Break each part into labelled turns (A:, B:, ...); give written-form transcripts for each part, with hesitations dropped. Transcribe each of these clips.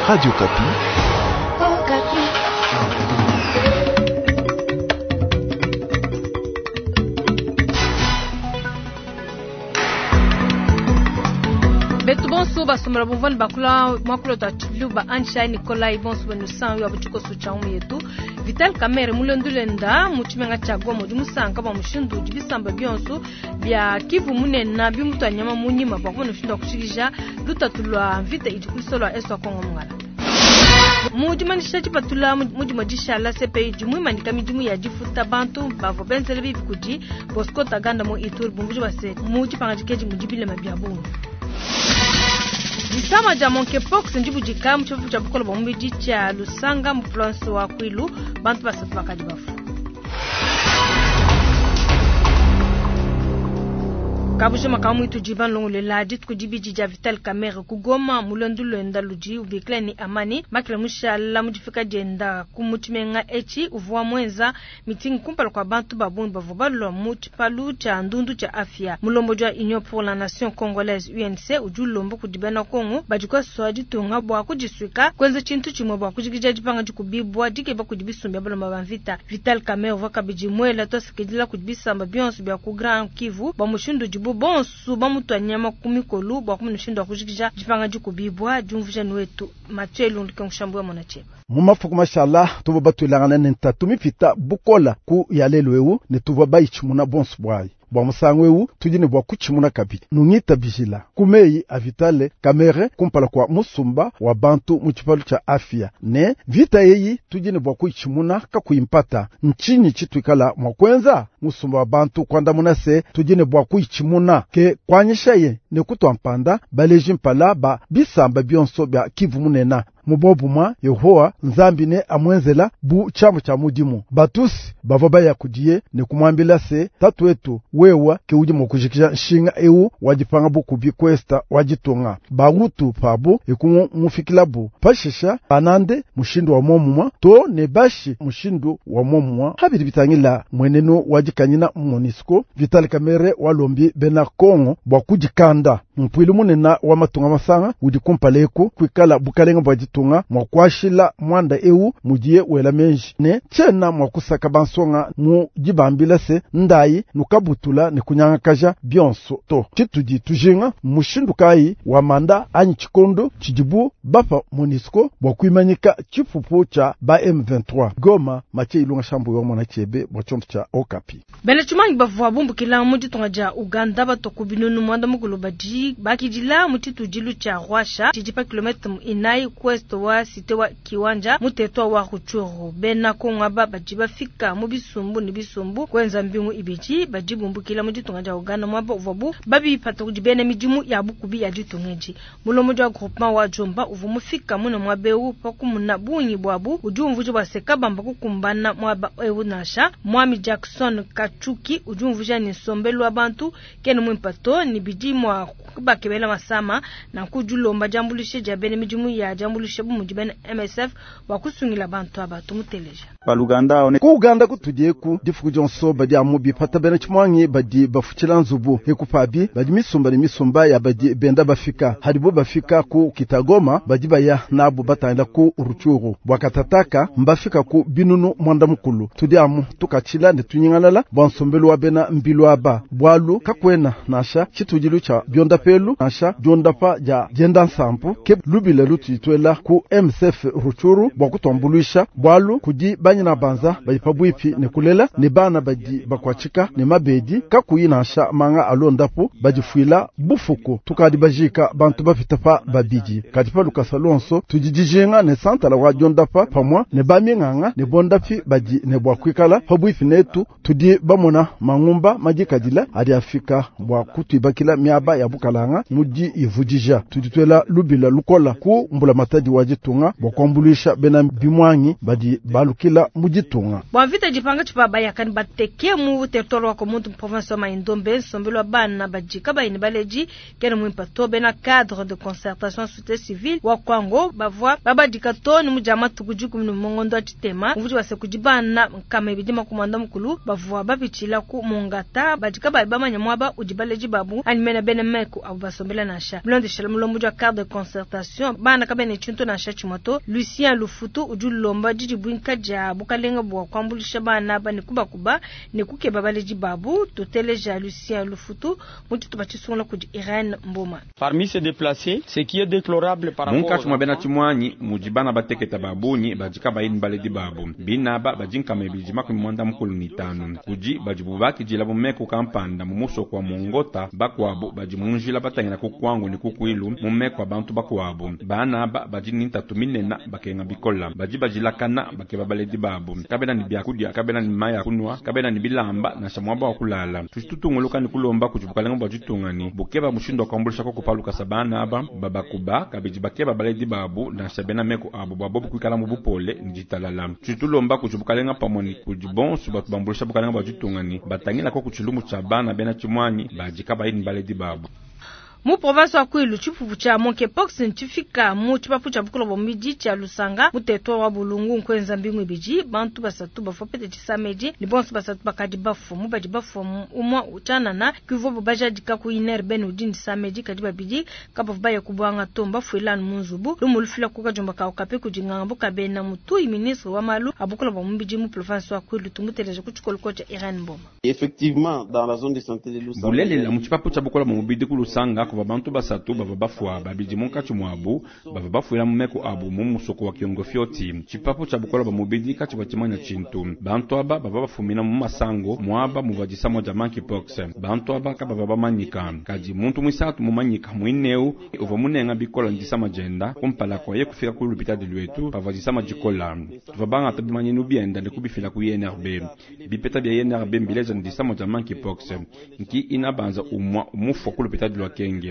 A: Radio Okapi.
B: Betu bonso basombela bumvua ne bakula muakulu tua tshiluba anshai nikolai bonso benu san wa butshikoso tshia umu yetu Vital Kamerhe mulendu lenda mu tshimenga tshia Goma udi musanka bua mushindu udi bisamba bionso bia Kivu munene bimutua nyama mu nyima bua kumona mushindu wa kushikija lutatu lua mvita idi ku luseke lua Est wa Kongo mungala. Mu dimanyisha dipatula mu dimue dishala, CPI udi muimanyika midimu ya difuta bantu bavua benzele bibi kudi Bosco Ntaganda mu Ituri, bumvuija bua se, mu dipangadika edi mudi bilema bia bungi. Disama dia monkeypox ndibudika mu tshipapu tshia bukole bua mubidi tshia Lusanga mu province wa Kwilu, bantu basatu bakadi bafua. Kabujima ka muitu diba nlongolola dituku dibidi dia Vital Kamerhe ku Goma mu luendu luenda ludi ubikila ne Amani Makila mushala mu difika dienda ku mu tshimenga etshi uvua muenza mitingi kumpala kua bantu ba bungi bavua balua mu tshipalu tshia ndundu tshia afia. Mulombodi wa Union pour la Nation Congolaise UNC udi ulomba kudi bena Kongo badi kuasua ditunga bua kudisuika kuenza tshintu tshimue bua kujikija dipanga dikubibua dikeba kudi bisumbu bia balomba ba mvita. Vital Kamerhe uvua kabidi muela tuasakidila kudi bisamba bionso bia ku Grand Kivu bua mushindu udibu bonso bamutua nyama ku mikolu bua kumona mushindu wa kujikija dipanga dikubibua. Diumvuija ni wetu Mathieu Elundu Kenkushambu wa Mona Tshieba.
C: Mu mafuku mashala tuvua batuilangana ne ntatu mipita bukola ku ya lelu eu ne tuvua bayitshimuna bonso buayi. Bua musangu eu tudi ne bua kutshimuna kabidi. Nungitabijila ku meyi a Vitale Kamerhe kumpala kua musumba wa bantu mu tshipalu tshia afia ne mvita eyi tudi ne bua kuyitshimuna kakuyi mpata. Ntshinyi tshituikala mua kuenza? Musumba wa bantu kuandamuna se tudi ne bua kuyitshimuna. Ke kuanyishaye ne kutua mpanda baleji mpala ba bisamba bionso bia Kivu munena. Mu bobumwa Yehowa Nzambi ne amuenzela bu tshiamu tshia mudimu. Batusi bavua baya kudiye ne kumuambila se tatu wetu wewa ke udi mua kujikija nshinga eu wa dipanga bukubi kwesta wa ditunga. Bahutu pabu ekumufikilabu pashisha banande mushindu wa momumwa to ne bashi mushindu wa momumwa. Habidi bitangila mwenenu wa dikanyina MONUSCO Vital Kamerhe walombi bena Kongo bua kudikanda. Mpuilu munene wa matunga masanga udi kumpala eku kuikala bukalenga bua ditunga mua kuashila mwanda eu mudiye wela menji ne tshiena mua kusaka bansonga mu dibambila se ndayi nukabutula ne kunyangakaja bionso to. Tshitudi tujinga mushindu kayi wa manda anyi tshikondo tshidibu bapa MONUSCO bua kuimanyika tshipupu tshia ba M23. Goma, Mathieu Ilunga Shambu wa mona tshiebe bua tshiondo tshia Okapi.
B: Bena tshimangi bavua bumbukila mu ditunga dia Uganda batua ku binunu muanda mukulu badi bakidila mu tshitudilu tshia Rwasha tshidi pa kilometre inayi ku ouest wa cité wa Kiwanja mu territoire wa Rutshuru. Bena Kongo aba badi bafika mu bisumbu ne bisumbu kuenza mbingu ibidi badi bumbukila mu ditunga dia Uganda muaba uvuabu babipata kudi bena midimu ya bukubi ya ditunga edi. Mulombodi wa groupement wa Jomba uvua mufika mune muaba eu pa kumuna bungi buabu udi umvuija bua se kabamba kukumbana muaba eu nansha. Mwami Jackson Kachuki udi umvuija ne nsombelu wa bantu kena muimpe to ne bidi mua kubakebela masama, nanku udi ulomba diambuluisha dia bena midimu ya diambuluisha bu mudi bena MSF bua kusungila bantu aba. Tumuteleja.
D: Baluganda one.
C: Ku Uganda kutudi eku difuku dionso badi amu bipata bena tshimuangi badi bafutshila nzubu eku pabi badi misumba ne misumba ya badi benda bafika hadibo bafika ku Kitagoma badi baya nabu batangila ku Rutshuru bua katataka mbafika ku binunu mwanda mukulu. Tudi amu tukatshila ne tunyingalala bua nsombelu wa bena mbilu aba bualu kakuena nansha tshitudilu tshia biondapelu nansha diondapa dia dienda nsampu ke lubila lutudi ku MSF Rutshuru bua kutuambuluisha bualu kudi banyina banza badi pabuipi ne kulela ne bana badi bakuatshika ne mabedi kakuyi nansha manga alondapu badifuila bufuku. Tukadi bajika bantu bapita pa babidi kadi pa lukasa lonso tudi dijinga ne santala wa diondapa pamua ne baminganga ne bondapi badi ne bua kuikala pabuipi netu. Tudi bamona mangumba madikadila adi afika bua kutuibakila miaba ya bukalanga mudi ivudija. Tudi tuela lubila lukola ku mbula matadi wa ditunga bua kuambuluisha bena bimwangi badi balukila mu ditunga.
B: Bua mvita dipanga tshipa bayakani bateke mu territoire wa Komuntu mu province wa Mai-Ndombe nsombelu wa bana badi kabayi ne baledi kena muimpe to. Bena cadre de concertation société civile wa Kwango bavua babadika to ne mu dia matuku dikumi ne mungondo wa tshitema muvudi wase kudi bana nkama ibidi makumi muanda mukulu bavua bapitshila ku Mongata badi kabayi bamanya muaba udi baledi babu anyi mena bena meku abu basombela nansha. Bilondeshela mulombodi wa cadre de concertation bana kabena ne tshintu tshintu nansha tshimue to. Lucien Lufutu udi ulomba didibuinka dia bukalenga bua kuambuluisha bana aba ne kubakuba ne kukeba baledi babu. Tuteleja Lucien Lufutu mu tshitupa tshisungula kudi Irene Mboma.
A: Parmi ces déplacés, ce qui est déplorable par rapport
D: Munkatshi mua bena tshimuangi mudi bana batekete ba bungi badi kabayi ne baledi babu. Bine aba badi 295. Kudi badibu bakidila mu meku kampanda mu musoko wa Mongota, bakuabu badi mu njila batangila ku Kwango ne ku Kwilu mu meku a bantu bakuabu. Bana aba badi ne ntatu minene, bakenga bikole. Badi badilakana bakeba baledi babu. Kabena ne biakudia, kabena ne mayi a kunua, kabena ne bilamba nansha muaba wa kulala. Tudi tutungunuka ne kulomba kudi bukalenga bua ditunga ne bukeba mushindu wa kuambuluisha koku pa lukasa bana aba, babakuba, kabidi bakeba baledi babu nansha bena meku abu bua bobu kuikala mu bupole ne ditalala. Tudi tulomba kudi bukalenga pamue ne kudi bonso batu bambuluisha bukalenga bua ditunga ne batangila koku tshilumbu tshia bana bena tshimuangi badi kabayi ne baledi babu.
B: Mu province wa Kwilu, tshipupu tshia monkeypox ntshifika mu tshipapu tshia bukole bua mubidi tshia Lusanga mu territoire wa Bulungu. Nkuenza mbingu ibidi bantu basatu bavua bapete tshisama edi ne bonso basatu bakadi bafua. Mu badi bafua umue tshianana kivuabu bajadika ku INRB ne udi ne tshisama edi, kadi babidi kabavua baya ku buanga to, mbafuile anu mu nzubu. Lumu lufila ku kadiomba ka Okapi kudi nganga Bukabena Mutuyi, ministre wa malu a bukole bua mubidi mu province wa Kwilu. Tumuteleja ku tshikoloko tshia Irene Mboma.
E: Effectivement, dans la zone de santé de Lusanga,
D: Bulelela, mu tshipapu tshia bukole bua mubidi ku Lusanga kuvua bantu basatu bavua bafua, babidi munkatshi muabu bavua bafuila mu meku abu mu musoko wa Kiongofioti. Tshipapu tshia bukole bua mubidi katshivua tshimanya tshintu. Bantu aba bavua bafumina mu masango muaba muvua disama dia monkeypox. Bantu aba kabavua bamanyika, kadi muntu muisatu mumanyika muineu uvua munenga bikole ne disama dienda kumpala kua ye kufika ku lupitadi luetu pavua disama dikola. Tuvua bangata bimanyinu bienda ne kubifila ku INRB. Bipeta bia INRB mbileja ne disama dia monkeypox nki inabanza umua mufua ku lupitadi lua Kenge.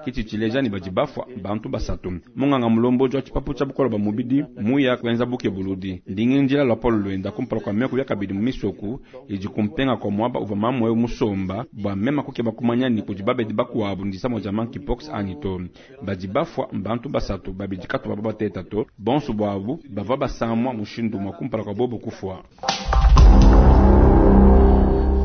D: Kitshi tshileja ne badi bafua bantu basatu. Munganga mulombodi wa tshipapu tshia bukole bua mubidi muya kuenza bukebuludi. Ndingi njila luapolo luenda kumpala kua meku ya kabidi mu misoku idi kumpenga kua muaba uvua mamu eu musomba bua mema kukeba kumanya ni kudi babedi bakuabu ne disama dia monkeypox anyi to. Badi bafua bantu basatu, babidi katuvua bateta to, bonso buabu bavua basamua mushindu mua kumpala kua bobo kufua.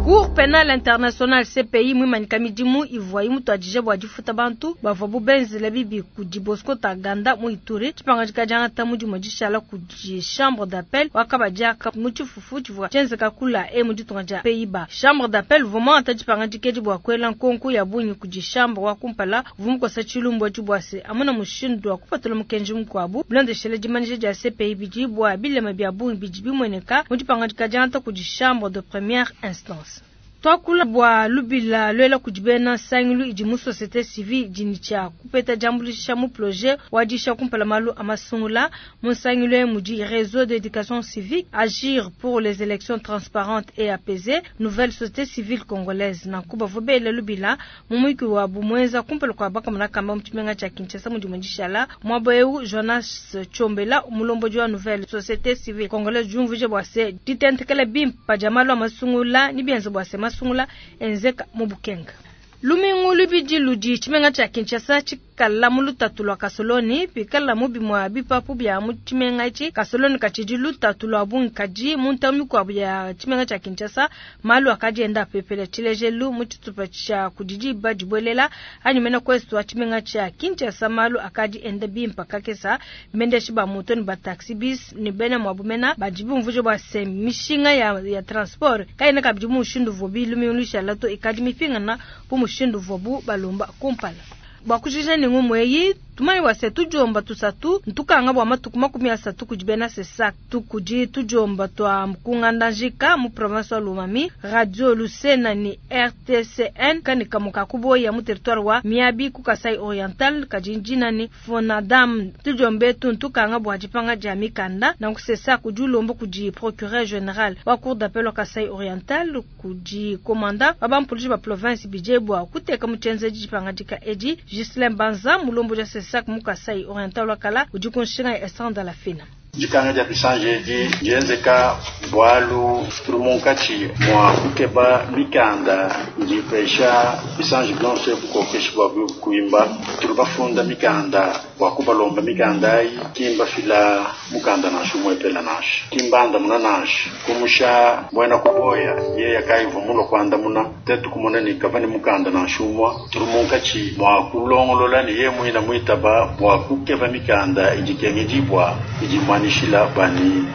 B: Cour pénale internationale CPI muimanyika midimu ivua imutuadije bua difuta bantu bavua benzela bibi kudi Bosco Ntaganda mu Ituri. Tshipangadika diangata mudimu dishala kudi chambre d'appel wakabadiaka mu tshifufu tshivua tshienzeka kula e mu ditunga dia Pays-Bas. Chambre d'appel uvua muangata dipangadika edi bua kuela nkonko ya bungi kudi chambre wa kumpala uvua mukosa tshilumbu etshi bua se amuna mushindu wa kupatula mukenji mukuabu. Bilondeshele dimanyisha dia CPI bidi bua bilema bia bungi bidi bimueneka mu dipangadika diangata kudi chambre de première instance. Twakula bua lubila luela kudi bena nsangilu idi mu société civile idi ne tshia kupeta diambuluisha mu projet wa disha kumpala malu a masungula. Mu nsangilu eyi mudi Réseau d'éducation civique, Agir pour les élections transparentes et apaisées, Nouvelle société civile congolaise. Nanku bavua bela lubila mu muyuki wabu muenza kumpala kua bakamona kamba mu tshimenga tshia Kinshasa mu dimue dishala. Muaba eu Jonas Tshombela, mulombodi wa Nouvelle société civile congolaise, diumvuija bua se ditentekela bimpe dia malu a masungula ne bienza bua se masungula enzeka mu bukenga. Lumingu lubidi ludi tshimenga tshia Kinshasa tshikala mu lutatu lua kasoloni pikala mu bimue bipapu bia mu tshimenga etshi. Kasoloni katshidi lutatu lua bungi, kadi mu ntamu mikuabu ya tshimenga tshia Kinshasa malu akadi enda apepela. Tshilejelu mu tshitupa tshia kudi diba dibuelela anyi mena ku est wa tshimenga tshia Kinshasa malu akadi enda bimpe kakesa. Bendeshi ba moto ne ba taxi bus ne bena muabu mena badi bumvuija bua se mishinga ya transport kayena kabidi mu mushindu uvua lumingu lushala to, ikadi mipingana bu mushindu uvuabu balomba kumpala. Bua kujija ne ngumu eyi, tumanye bua se tudiomba tusatu ntukanga bua matuku 30 kudi bena CSAC tukudi tudiomba tua Mkungandanjika mu province wa Lomami, Radio Lusena ni RTCN kani kamuka kuboya mu territoire wa Miabi ku Kasai Oriental kadi njina ni Fonadam. Tudiombe tu ntukanga bua dipanga dia mikanda na ku CSAC kudi ulomba kudi procureur général wa cour d'appel wa Kasai Oriental kudi commandant wa bampolisi ba province bije bua kuteka mu tshienzedi dipangadika edi. Ghislain Banza, mulombodi wa CSAC mu Kasai Oriental wa kala, udi ku nshinga ya Esther la Fina.
F: Dikanga dia bisanji edi dienzeka bualu tuli munkatshi mua kukeba mikanda idi ipesha bisanji bionso bukokeshi bua kuimba. Tuli bafunda mikanda. Bua kubalomba mikanda ayi, ki mbafila mukanda nansha umuepele nansha, ki mbandamuna nansha. Kumusha muena kuboya yeya kayivua mulue kuandamuna, tuetu kumona ne kavua ne mukanda nansha umue. Tudi munkatshi mua kulongolola ne yeye muine muitaba bua kukeba mikanda idi ikengedibua idi imuanyishila bua ne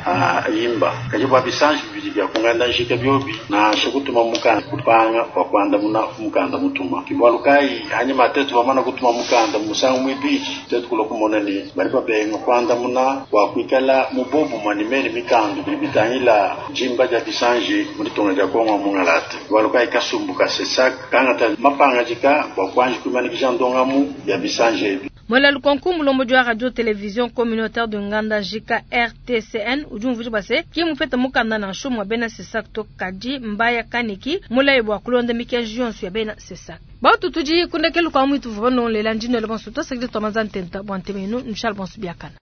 F: ayimba. Kadi bua bisanji bibidi bia ku nganda-njika biobi, nansha kutuma mukanda kupanga bua kuandamuna ku mukanda mutuma. Ke bualu kayi anyima tuetu bamane kutuma mukanda musangu muibidi, tuetu kulua kumona ne, badi babenga kuandamuna bua kuikala mu buobumue ne mene mikandu bidi bitangila dimba dia bisanji mu ditunga dia Congo wa mungalata. Bualu kayi kasumbu ka CSAC kangata mapangadika bua kuanji kuimanikija ndongamu ya bisanji ebi.
B: Muela lukonko mulombodi wa radio television communautaire de Ngandajika RTCN udi umvuija bua se, ki mupete mukanda nansha umue wa bena CSAC to, kadi mbaya kaniki mulaye bua kulonda mikenji yonso ya bena CSAC. Batu tudi ku ndekelu kua muitu tuvua banongolela ndi nuela bonso tuasakidila tua manza ntenta bua ntema yenu nushale bonso biakana.